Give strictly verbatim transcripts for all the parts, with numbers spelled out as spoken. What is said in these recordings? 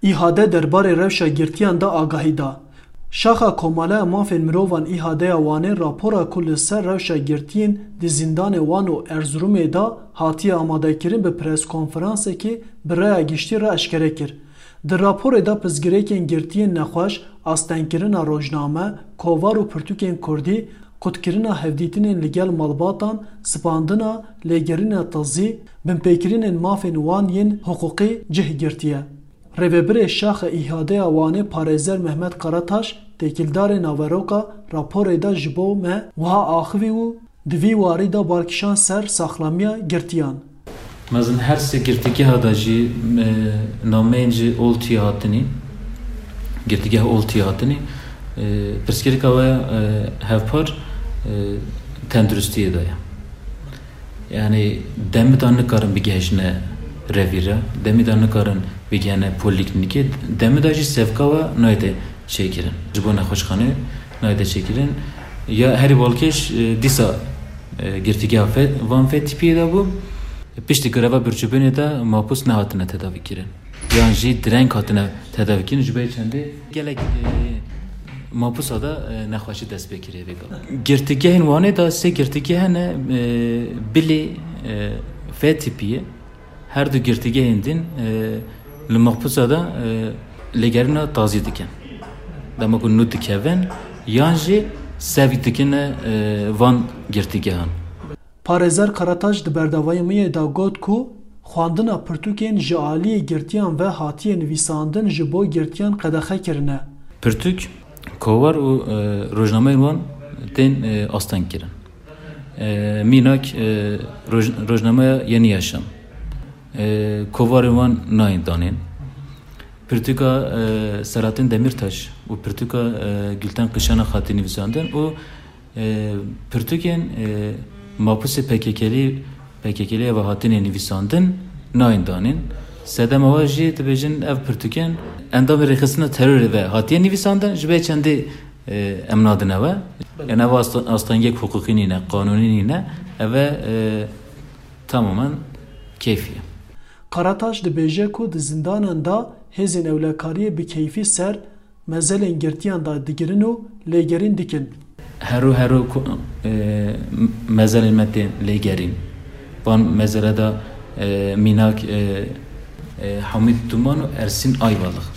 Îhade derbarê rewşa girtiyan de agahî da. Şaxa Komaleya Mafên Mirovan Îhadeya Wanê rapora ku li ser rewşa girtiyên di zîndanê Wan û Erzurumê de hatiye amadekirin bi preskonferansekê bi raya giştî re eşkere kir. Di raporê de pirsgirêkên girtiyên nexweş, astengkirina rojname, kovar û pirtûkên kurdî, qutkirina hevdîtinên li gel malbatan, sipandina, lêgerîna tazî, binpêkirinên mafên wan yên hiqûqî cih girtiye. Rêvebirê Şaxa Îhadeya Wanê parêzer Mehmet Karataş têkildarê naveroka raporê de ji bo me wiha axivî û di vî warî de bal kişand ser saxlamiya girtiyan. Mezin her sê girtîgeha de jî, e, nameyên ji Oltiyê hatinî, girtîgeh Oltiyê hatinî, e, pirsgirêka we, e, hevpar, e, tenduristiyê de ye. Yani demê de nikarin bigihîjine revîre, demê de nikarin bigihine polîklînîkê, demê de jî sevka we nayête çêkirin. Ji bo nexweşxanê nayête çêkirin. Ya herî balkêş, e, dîsa, e, girtîgeha fe-, van Fetîpiyê de bû. Piştî greva birçîbûnê de mapûs nehatine tedavîkirin. Yan jî direng hatine tedavîkirin. Ji bo çendê gelek, e, mapûsa de, e, nexweşî dest pê kiriye vêga. Girtîgehên Wanê de sê girtîgeh hene, e, Bilê, e, Fetîpiyê. Her du girtîgehên din, e, li mapûsa de, e, lêgerîna tazî dikin. Dema ku nû dikevin, yan jî sevk dikine, e, van girtîgehan. Parêzer Karataş di berdewamiyê de got ku xwendina pirtûkên ji aliyê girtiyan ve hatiye nivîsandin ji bo girtiyan qedexe kirine. Pirtûk, kovar û, e, rojnameyên wan tên, e, asteng kirin. E, mînak, e, roj-, rojnameya Yeni Yaşam. E, kovarên wan nayên danên. Pirtûka, e, Selahattin Demirtaş û pirtûka, e, Gülten Kışanak hatî nivîsandin û, e, pirtûkên, e, mapûsê P K K'lî, P K K'lî ve hatine nivîsandin nayên danên. Sedema we jî dibêjin ev pirtûkên endamê rêxistina terorê ve hatiye nivîsandin, ji bo çendê, e, em nadine we. Yani ev asta-, astengiyek hiqûqî nîne, qanûnî nîne. Ev e, e, tamamen keyfî ye. Karataş dibêje ku di zindanan de hêzên ewlekariyê bi keyfî ser mezelên girtiyan de digirin û lêgerîn dikin. Hero hero ku, e, mezelên me tên lêgerîn. Van mezele de, e, mînak, e, e, Hamîd Duman û Ersîn Ayvalık.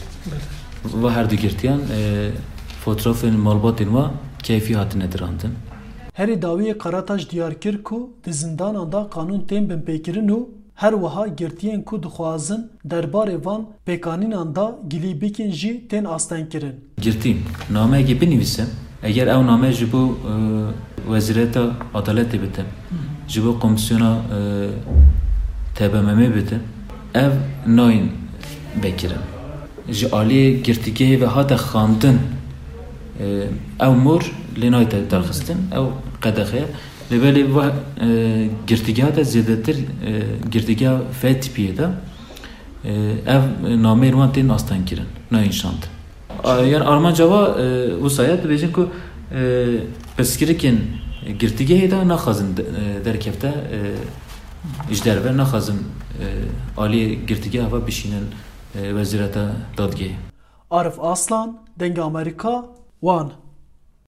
Va her du girtiyan, e, fotoğrafên malbatên wa keyfî hatine dirandin. Herî dawiyê Karataş diyar kir ku di zindanan de qanûn tên binpêkirin û her wiha girtiyên ku dixwazin derbarê van pêkanînan de gilî bikin jî tên astengkirin. Girtî nameyekê binivîse, eger ew name ji bo, e, Wezîreta Adaletê bite, ji bo Komîsyona, e, T B M M bite, ev nayên vekirin. Ji aliyê girtîgehê ve hate xwendin, e, ew mor lê nayête derxistin, ew qedexe ye. Lê belê va, e, girtîgeha de zêdetir, e, girtîgeha F tipiyê de, e, ev nameyên wan tên astengkirin, nayên şandin. A, yan armanca wa, e, wisa ye, dibêjin ku, e, pirsgirêkên girtîgehê de naxwazin de, e, derkefte, e, ji derve naxwazin, e, aliyê girtîgeha ve bişînin, e, wezîreta dadgehê. Arif Aslan, Dengê Amerîka, Wan.